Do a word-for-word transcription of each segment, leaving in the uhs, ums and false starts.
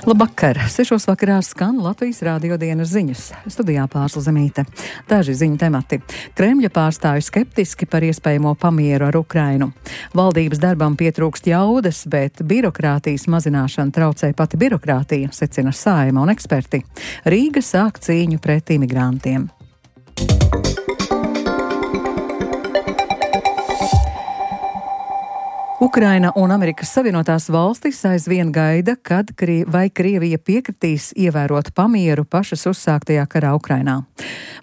Labvakar! Sešos vakarā skan Latvijas Rādio dienas ziņas. Studijā Pārsla Zemīte. Daži ziņu temati. Kremļa pārstāvji skeptiski par iespējamo pamieru ar Ukrainu. Valdības darbam pietrūkst jaudas, bet birokrātijas mazināšana traucē pati birokrātija, secina Saeima un eksperti. Rīga sāk cīņu pret imigrantiem. Ukraina un Amerikas Savienotās valstis aizvien gaida, kad Krie- vai Krievija piekritīs ievērot pamieru pašas uzsāktajā karā Ukrainā.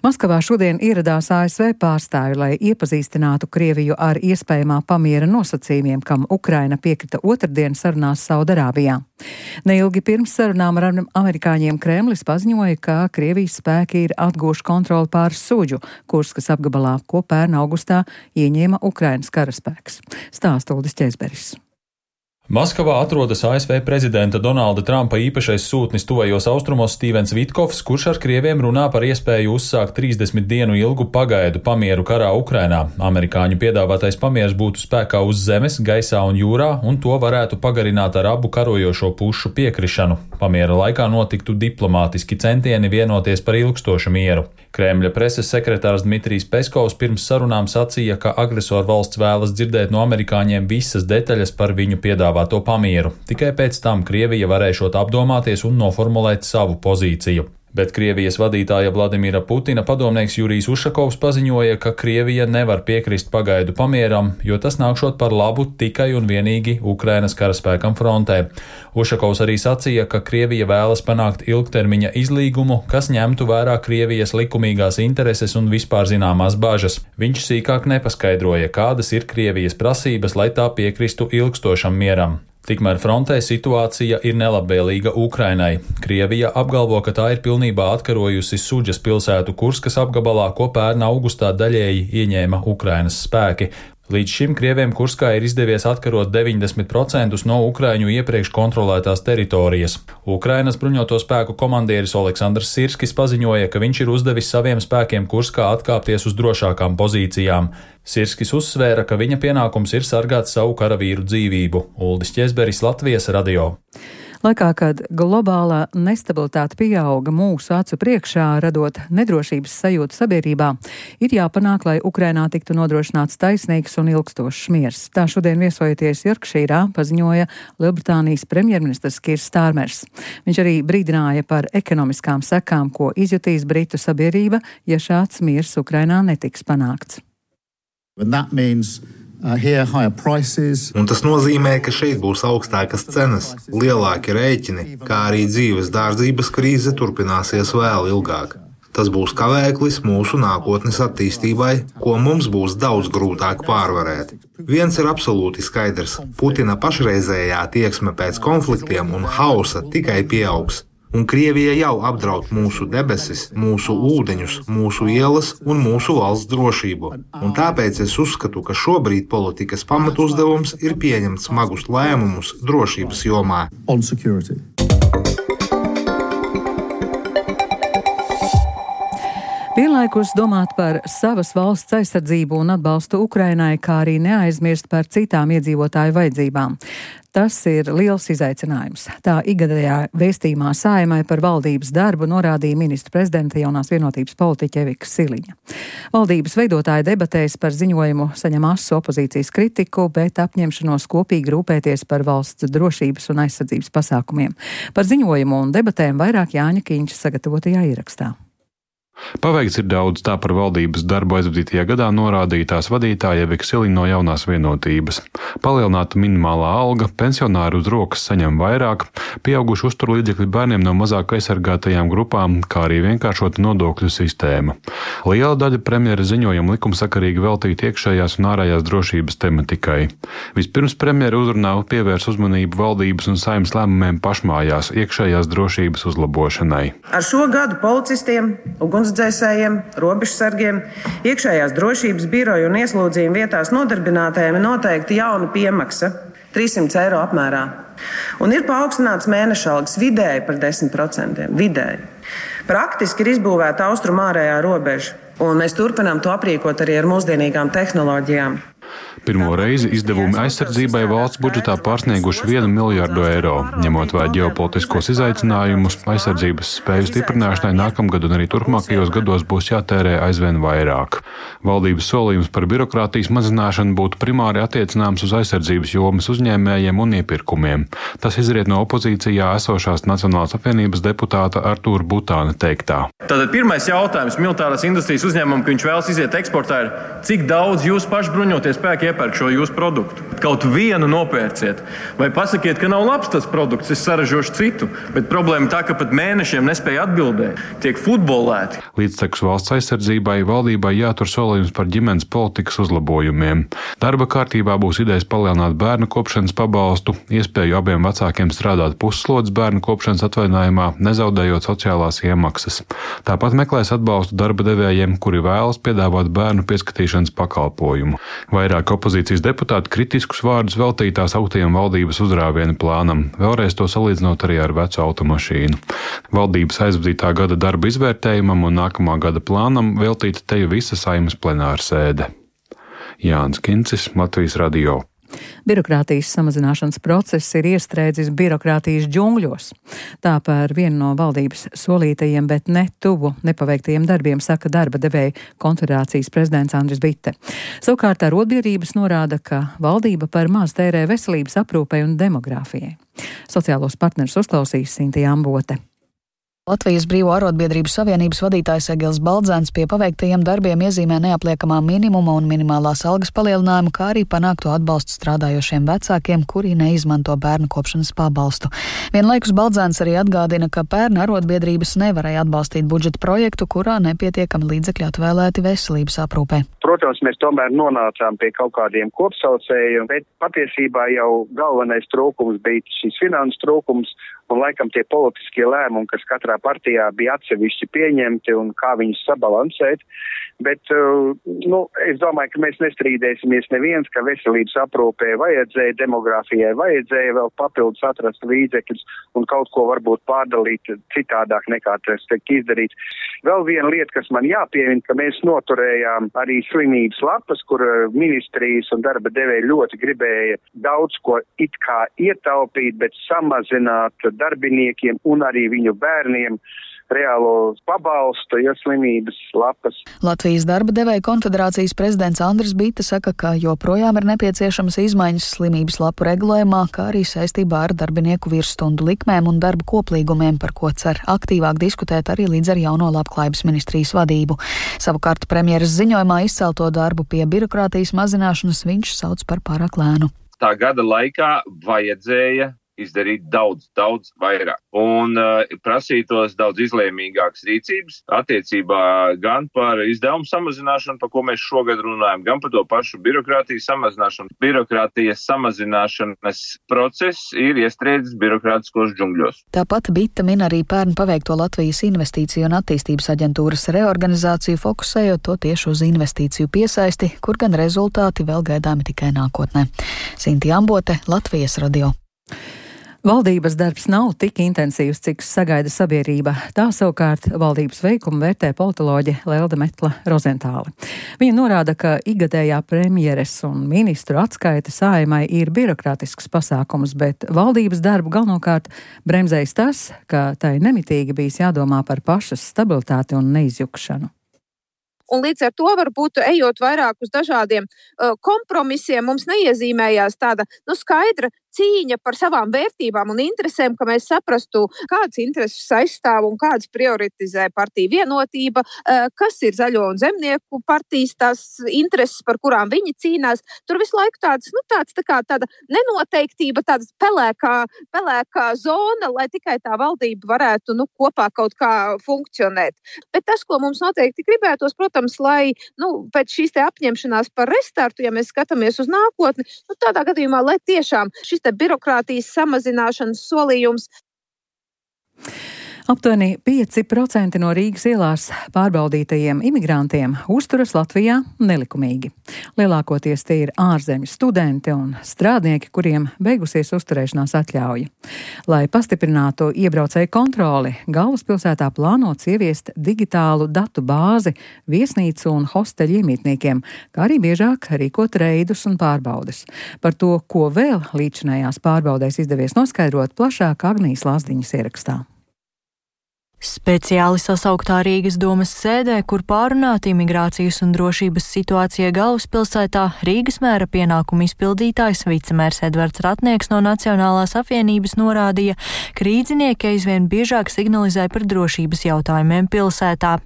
Maskavā šodien ieradās A S V pārstāvi, lai iepazīstinātu Krieviju ar iespējamā pamiera nosacījumiem, kam Ukraina piekrita otrdien sarunās Saudarābijā. Neilgi pirms sarunām ar amerikāņiem Kremlis paziņoja, ka Krievijas spēki ir atguvuši kontroli pār Suģu, Kurskas apgabalā, ko pērn augustā ieņēma Ukrainas karaspēks. Stāsta Uldis Ķezberis. Maskavā atrodas A S V prezidenta Donalda Trumpa īpašais sūtnis tuvajos austrumos Stīvens Vitkovs, kurš ar krieviem runā par iespēju uzsākt trīsdesmit dienu ilgu pagaidu pamieru karā Ukrainā. Amerikāņu piedāvātais pamiers būtu spēkā uz zemes, gaisā un jūrā, un to varētu pagarināt ar abu karojošo pušu piekrišanu. Pamiera laikā notiktu diplomātiski centieni vienoties par ilgstošu mieru. Kremļa preses sekretārs Dmitrijs Peskovs pirms sarunām sacīja, ka agresoru valsts vēlas dzirdēt no amerikāņiem visas detaļas par viņu piedāvāto pamieru. Tikai pēc tam Krievija varēšot apdomāties un noformulēt savu pozīciju. Bet Krievijas vadītāja Vladimira Putina padomnieks Jurijs Ušakovs paziņoja, ka Krievija nevar piekrist pagaidu pamieram, jo tas nākšot par labu tikai un vienīgi Ukrainas karaspēkam frontē. Ušakovs arī sacīja, ka Krievija vēlas panākt ilgtermiņa izlīgumu, kas ņemtu vērā Krievijas likumīgās intereses un vispār zināmās bažas. Viņš sīkāk nepaskaidroja, kādas ir Krievijas prasības, lai tā piekristu ilgstošam mieram. Tikmēr frontē situācija ir nelabvēlīga Ukrainai. Krievija apgalvo, ka tā ir pilnībā atkarojusi Suģas pilsētu Kurskas apgabalā, ko pērn augustā daļēji ieņēma Ukrainas spēki. Līdz šim Krieviem Kurskā ir izdevies atkarot deviņdesmit procentus no Ukraiņu iepriekš kontrolētās teritorijas. Ukrainas bruņoto spēku komandieris Oleksandrs Sirskis paziņoja, ka viņš ir uzdevis saviem spēkiem Kurskā atkāpties uz drošākām pozīcijām. Sirskis uzsvēra, ka viņa pienākums ir sargāt savu karavīru dzīvību. Uldis Ķezberis, Latvijas radio. Laikā, kad globālā nestabilitāte pieauga mūsu acu priekšā, radot nedrošības sajūtu sabiedrībā, ir jāpanāk, lai Ukrainā tiktu nodrošināts taisnīgs un ilgstošs miers. Tā šodien viesojoties Jorkšīrā paziņoja Lielbritānijas premjerministrs Kīrs Stārmers. Viņš arī brīdināja par ekonomiskām sekām, ko izjutīs Britu sabiedrība, ja šāds miers Ukrainā netiks panākts. Uh, Un tas nozīmē, ka šeit būs augstākas cenas, lielāki rēķini, kā arī dzīves dārdzības krīze turpināsies vēl ilgāk. Tas būs kavēklis mūsu nākotnes attīstībai, ko mums būs daudz grūtāk pārvarēt. Viens ir absolūti skaidrs – Putina pašreizējā tieksme pēc konfliktiem un hausa tikai pieaugs. Un Krievija jau apdraud mūsu debesis, mūsu ūdeņus, mūsu ielas un mūsu valsts drošību. Un tāpēc es uzskatu, ka šobrīd politikas pamatuzdevums ir pieņemt smagus lēmumus drošības jomā. Vienlaikus domāt par savas valsts aizsardzību un atbalstu Ukrainai, kā arī neaizmirst par citām iedzīvotāju vajadzībām. Tas ir liels izaicinājums. Tā ikgadējā vēstījumā Saeimai par valdības darbu norādīja ministra prezidenta jaunās vienotības politiķe Evika Siliņa. Valdības veidotāja debatēs par ziņojumu saņem asu opozīcijas kritiku, bet apņemšanos kopīgi rūpēties par valsts drošības un aizsardzības pasākumiem. Par ziņojumu un debatēm vairāk Jāņa Kīņša sagatavotajā ierakstā. Paveikts ir daudz, tā par valdības darbu aizvadītajā gadā norādīja tās vadītāja Evika Siliņa no jaunās vienotības. Palielināta minimālā alga, pensionāri uz rokas saņem vairāk, pieauguši uzturlīdzekļi bērniem no mazāk aizsargātajām grupām, kā arī vienkāršota nodokļu sistēma. Liela daļa premjera ziņojuma likumsakarīgi veltīta iekšējās un ārējās drošības tematikai. Vispirms premjera uzrunā pievērs uzmanību valdības un Saeimas lēmumiem pašmājās iekšējās drošības uzlabošanai. Ar šo gadu policistiem, ugunsdzēsējiem, robežsargiem, iekšējās drošības biroju un ieslodzījumu vietās nodarbinātajiem ir noteikti jauna piemaksa trīs simti eiro apmērā. Un ir paaugstināts mēneša algas vidēji par desmit procentiem. Vidēji. Praktiski ir izbūvēta austrumu ārējā robeža, un mēs turpinām to aprīkot arī ar mūsdienīgām tehnoloģijām. Pirmo reizi izdevumi aizsardzībai valsts budžetā pārsnieguši vienu miljardu eiro. Ņemot vērā ģeopolitiskos izaicinājumus, aizsardzības spēju stiprināšanai nākamgad un arī turpmākajos gados būs jātērē aizvien vairāk. Valdības solījums par birokrātijas mazināšanu būtu primāri attiecināms uz aizsardzības jomas uzņēmējiem un iepirkumiem. Tas izriet no opozīcijā esošās Nacionālās apvienības deputāta Artūra Butāna teiktā. Tātad pirmais jautājums militārās industrijas uzņēmumam, ka viņš vēlas iziet eksportā, ir, cik daudz jūs paši bruņotie spēki iepērk šo jūsu produktu. Kaut vienu nopērciet. Vai pasakiet, ka nav labs tas produkts, es saražošu citu, bet problēma tā, ka pat mēnešiem nespēja atbildēt, tiek futbolēti. Līdztekus valsts aizsardzībai valdībai jātur solījums par ģimenes politikas uzlabojumiem. Darba kārtībā būs idejas palielināt bērnu kopšanas pabalstu, iespēju abiem vecākiem strādāt pusslodzes bērnu kopšanas atvaļinājumā, nezaudējot sociālās iemaksas. Tāpat meklēs atbalstu darba devējiem, kuri vēlas piedāvāt bērnu pieskatīšanas pakalpojumu. Vairāk opozīcijas deputāti kritiskus vārdus veltītās augtajam valdības uzrāvienu plānam, vēlreiz to salīdzinot arī ar vecu automašīnu. Valdības aizvadītā gada darba izvērtējumam un nākamā gada plānam veltīta teju visa Saeimas plenāra sēde. Jānis Kincis, Latvijas radio. Birokrātijas samazināšanas process ir iestrēdzis birokrātijas džungļos. Tā par vienu no valdības solītajiem, bet ne tuvu nepaveiktajiem darbiem saka darba devēja konfederācijas prezidents Andris Bite. Savukārt arotbiedrības norāda, ka valdība par maz tērē veselības aprūpei un demogrāfijai. Sociālos partnerus uzklausīs Sintija Ambote. Latvijas Brīvo arotbiedrību savienības vadītājs Egils Baldzēns pie paveiktajiem darbiem iezīmē neapliekamā minimuma un minimālās algas palielinājumu, kā arī panākto atbalstu strādājošiem vecākiem, kuri neizmanto bērnu kopšanas pabalstu. Vienlaikus Baldzēns arī atgādina, ka pērn arotbiedrības nevarēja atbalstīt budžeta projektu, kurā nepietiekami līdzekļi atvēlēti veselības aprūpē. Protams, mēs tomēr nonācām pie kaut kādiem kopsaucējiem, bet patiesībā jau galvenais trūkums bija šis finanses trūkums un laikam tie politiskie lēmumi, kas katrā partijā bija atsevišķi pieņemti un kā viņus sabalansēt. Bet, nu, es domāju, ka mēs nestrīdēsimies neviens, ka veselības aprūpē vajadzēja, demogrāfijai vajadzēja vēl papildus atrast līdzekļus un kaut ko varbūt pārdalīt citādāk nekā tas tiek izdarīts. Vēl viena lieta, kas man jāpiemina, ka mēs noturējām arī slimības lapas, kur ministrijas un darba devēji ļoti gribēja daudz ko it kā ietaupīt, bet samazināt darbiniekiem un arī viņu bērniem reālo pabalstu, ja slimības lapas. Latvijas darba devēja konfederācijas prezidents Andris Bite saka, ka joprojām ir nepieciešamas izmaiņas slimības lapu regulējumā, kā arī saistībā ar darbinieku virsstundu likmēm un darba koplīgumiem, par ko cer aktīvāk diskutēt arī līdz ar jauno labklājības ministrijas vadību. Savukārt premjeras ziņojumā izcelto darbu pie birokrātijas mazināšanas viņš sauc par pārāk lēnu. Tā gada laikā vajadzēja izdarīt daudz, daudz vairāk. Un uh, prasītos daudz izlēmīgākas rīcības attiecībā gan par izdevumu samazināšanu, par ko mēs šogad runājam, gan par to pašu birokrātijas samazināšanu. Birokrātijas samazināšanas process ir iestrēdzis birokrātiskos džungļos. Tāpat Bita min arī pērn paveikto Latvijas investīciju un attīstības aģentūras reorganizāciju, fokusējot to tieši uz investīciju piesaisti, kur gan rezultāti vēl gaidāmi tikai nākotnē. Sintija Ambote, Latvijas radio. Valdības darbs nav tik intensīvs, cik sagaida sabiedrība. Tā savukārt valdības veikumu vērtē politoloģe Lelda Metla Rozentāle. Viņa norāda, ka ikgadējā premjeres un ministru atskaita Saeimai ir birokrātisks pasākums, bet valdības darbu galvenokārt bremzējis tas, ka tai nemitīgi bijis jādomā par pašas stabilitāti un neizjukšanu. Un līdz ar to varbūt ejot vairāk uz dažādiem uh, kompromisiem, mums neiezīmējās tāda nu, skaidra cīņa par savām vērtībām un interesēm, ka mēs saprastu, kādas intereses aizstāv un kādas prioritizē partija Vienotība, uh, kas ir Zaļo un Zemnieku partijas tās intereses, par kurām viņi cīnās. Tur visu laiku tāds, nu, tāds, tā kā tāda nenoteiktība, tāda pelēkā, pelēkā zona, lai tikai tā valdība varētu nu, kopā kaut kā funkcionēt. Bet tas, ko mums noteikti gribētos, protams, lai nu, pēc šīs te apņemšanās par restartu, ja mēs skatāmies uz nākotni, nu, tādā gadījumā, lai tiešām šis te birokrātijas samazināšanas solījums. Aptuveni pieci procenti no Rīgas ielās pārbaudītajiem imigrantiem uzturas Latvijā nelikumīgi. Lielākoties tie ir ārzemju studenti un strādnieki, kuriem beigusies uzturēšanās atļauja. Lai pastiprinātu iebraucēju kontroli, galvaspilsētā plānots ieviest digitālu datu bāzi viesnīcu un hosteļu iemītniekiem, kā arī biežāk rīkot reidus un pārbaudes. Par to, ko vēl līdzinājās pārbaudēs izdevies noskaidrot, plašāk Agnijas Lazdiņas ierakstā. Speciāli sasauktā Rīgas domas sēdē, kur pārunāta imigrācijas un drošības situācija galvaspilsētā, Rīgas mēra pienākumu izpildītājs vicemērs Edvards Ratnieks no Nacionālās apvienības norādīja, ka rīdzinieki aizvien biežāk signalizē par drošības jautājumiem pilsētā.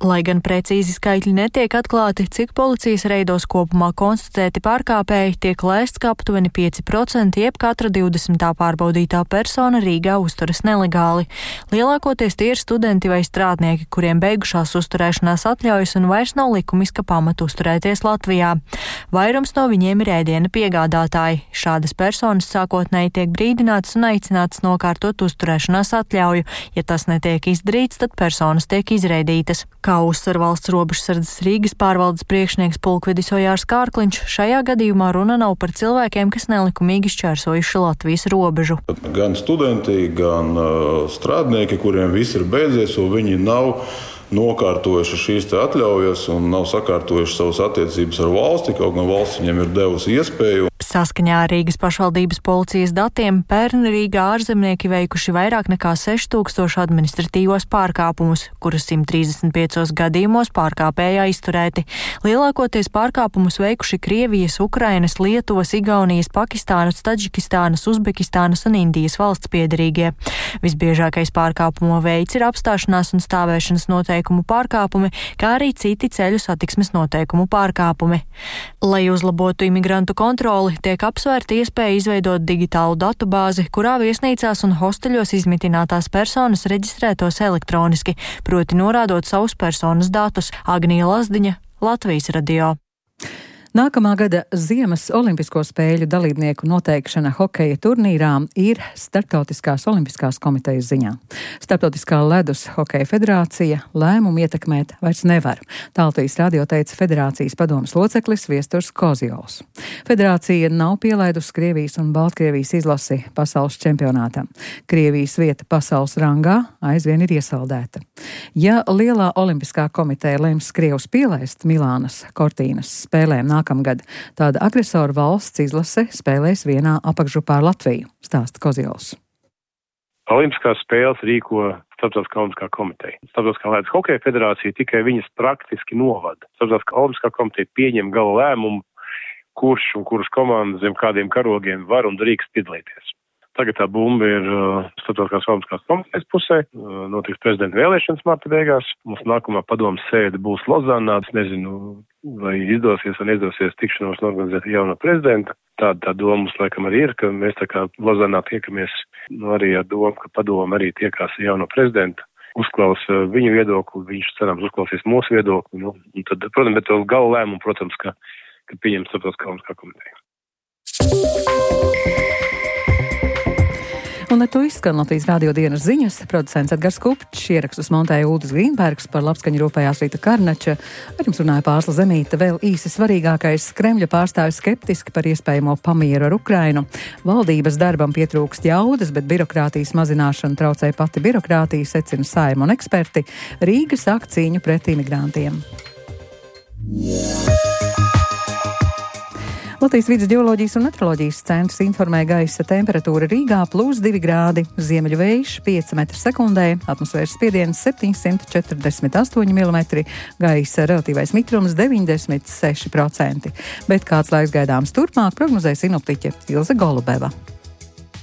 Lai gan precīzi skaitļi netiek atklāti, cik policijas reidos kopumā konstatēti pārkāpēji, tiek lēsts, ka aptuveni pieci procenti jeb katra divdesmitā pārbaudītā persona Rīgā uzturas nelegāli. Lielākoties tie ir studenti vai strādnieki, kuriem beigušās uzturēšanās atļaujas un vairs nav likumiska pamata uzturēties Latvijā. Vairums no viņiem ir ēdiena piegādātāji. Šādas personas sākotnēji tiek brīdinātas un aicinātas nokārtot uzturēšanās atļauju. Ja tas netiek izdarīts, tad personas tiek izraidītas. Kā uzsver valsts robežsardzes Rīgas pārvaldes priekšnieks pulkvedis Ojārs Kārkliņš, šajā gadījumā runa nav par cilvēkiem, kas nelikumīgi šķērsojuši Latvijas robežu. Gan studenti, gan uh, strādnieki, kuriem viss ir beidzies, un viņi nav nokārtojuši šīs atļaujas un nav sakārtojuši savas attiecības ar valsti, kaut gan valsts viņiem ir devusi iespēju. Saskaņā ar Rīgas pašvaldības policijas datiem pērn Rīgā ārzemnieki veikuši vairāk nekā seši tūkstoši administratīvos pārkāpumus, kurus simt trīsdesmit piecos gadījumos pārkāpēji aizturēti. Lielākoties pārkāpumus veikuši Krievijas, Ukrainas, Lietuvas, Igaunijas, Pakistānas, Tadžikistānas, Uzbekistānas un Indijas valsts piederīgie. Visbiežākais pārkāpumu veids ir apstāšanās un stāvēšanas noteikumu pārkāpumi, kā arī citi ceļu satiksmes noteikumu pārkāpumi. Lai uzlabotu imigrantu kontroli, tiek apsvērta iespēja izveidot digitālu datu bāzi, kurā viesnīcās un hosteļos izmitinātās personas reģistrētos elektroniski, proti norādot savus personas datus. Agnija Lazdiņa, Latvijas radio. Nākamā gada Ziemas olimpisko spēļu dalībnieku noteikšana hokeja turnīrā ir Starptautiskās olimpiskās komitejas ziņā. Starptautiskā ledus hokeja federācija lēmumu ietekmēt vairs nevar. Tā Latvijas radio teica federācijas padomes loceklis Viesturs Kozjols. Federācija nav pielaidusi Krievijas un Baltkrievijas izlasi pasaules čempionātā. Krievijas vieta pasaules rangā aizvien ir iesaldēta. Ja lielā olimpiskā komiteja lems Krievus pielaist Milānas Cortīnas spēlēm nākamā Nākamgad tāda agresoru valsts izlase spēlēs vienā apakšgrupā ar Latviju, stāsta Kozjols. Olimpiskās spēles rīko Starptautiskā olimpiskā komiteja. Starptautiskā ledus hokeja federācija tikai viņas praktiski novada. Starptautiskā olimpiskā komiteja pieņem gala lēmumu, kurš un kuras komandas zem kādiem karogiem var un drīkst piedalīties. Tagad tā bumba ir uh, Starptautiskās olimpiskās komitejas pusē, uh, notiks prezidenta vēlēšanas marta beigās. Mums nākamā padomas sēde būs Lozānā. Es nezinu, vai izdosies vai neizdosies tikšanos organizēt jauno prezidenta. Tāda tā doma mums laikam arī ir, ka mēs tā kā Lozānā tiekamies, nu, arī ar domu, ka padoma arī tiekās jauno prezidenta. Uzklausa viņu viedokli, viņš cerams uzklausīs mūsu viedokli. Nu, un tad, protams, bet gala lēmumu, protams, ka, ka pieņem Starptautiskā olimpiskā komiteja. Un ar to izskan Latvijas radio dienas ziņas. Producents Edgars Kupčs, ierakstus montēja Uldis Grīnbergs, par labskaņu rūpējās Rīta Karnača. Ar jums runāja Pārsla Zemīte. Vēl īsi svarīgākais: Kremļa pārstāvis skeptiski par iespējamo pamieru ar Ukrainu. Valdības darbam pietrūkst jaudas, bet birokrātijas mazināšana traucē pati birokrātija, secina Saeima un eksperti. Rīga sāk cīņu pret imigrantiem. Latvijas Vides ģeoloģijas un meteoroloģijas centrs informē gaisa temperatūra Rīgā plus divi grādi, ziemeļu vējš pieci metri sekundē, atmosfēras spiediens septiņsimt četrdesmit astoņi milimetri, gaisa relatīvais mitrums deviņdesmit seši procenti. Bet kāds laiks gaidāms turpmāk, prognozē sinoptiķe Ilze Golubeva.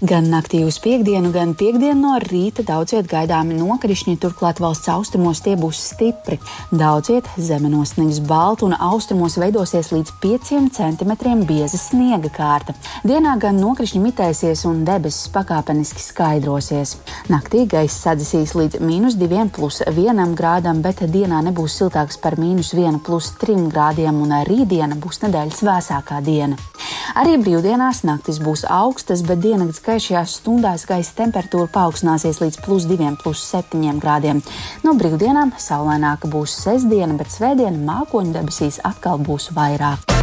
Gan naktī uz piekdienu, gan piekdienu no rīta daudziet gaidāmi nokrišņi, turklāt valsts austrumos tie būs stipri. Daudziet zemenos sniegs baltu un austrumos veidosies līdz pieciem centimetriem bieza sniega kārta. Dienā gan nokrišņi mitēsies un debesis pakāpeniski skaidrosies. Naktī gaiss sadzisīs līdz mīnus diviem plus vienam grādam, bet dienā nebūs siltāks par mīnus vienu plus trim grādiem un rītdiena būs nedēļas vēsākā diena. Arī brīvdienās naktis būs augstas, bet diennakts gaišajās stundās gaisa temperatūra paaugstināsies līdz plus diviem, plus septiņiem grādiem. No brīvdienām saulaināka būs sestdiena, bet svētdiena mākoņu debesīs atkal būs vairāk.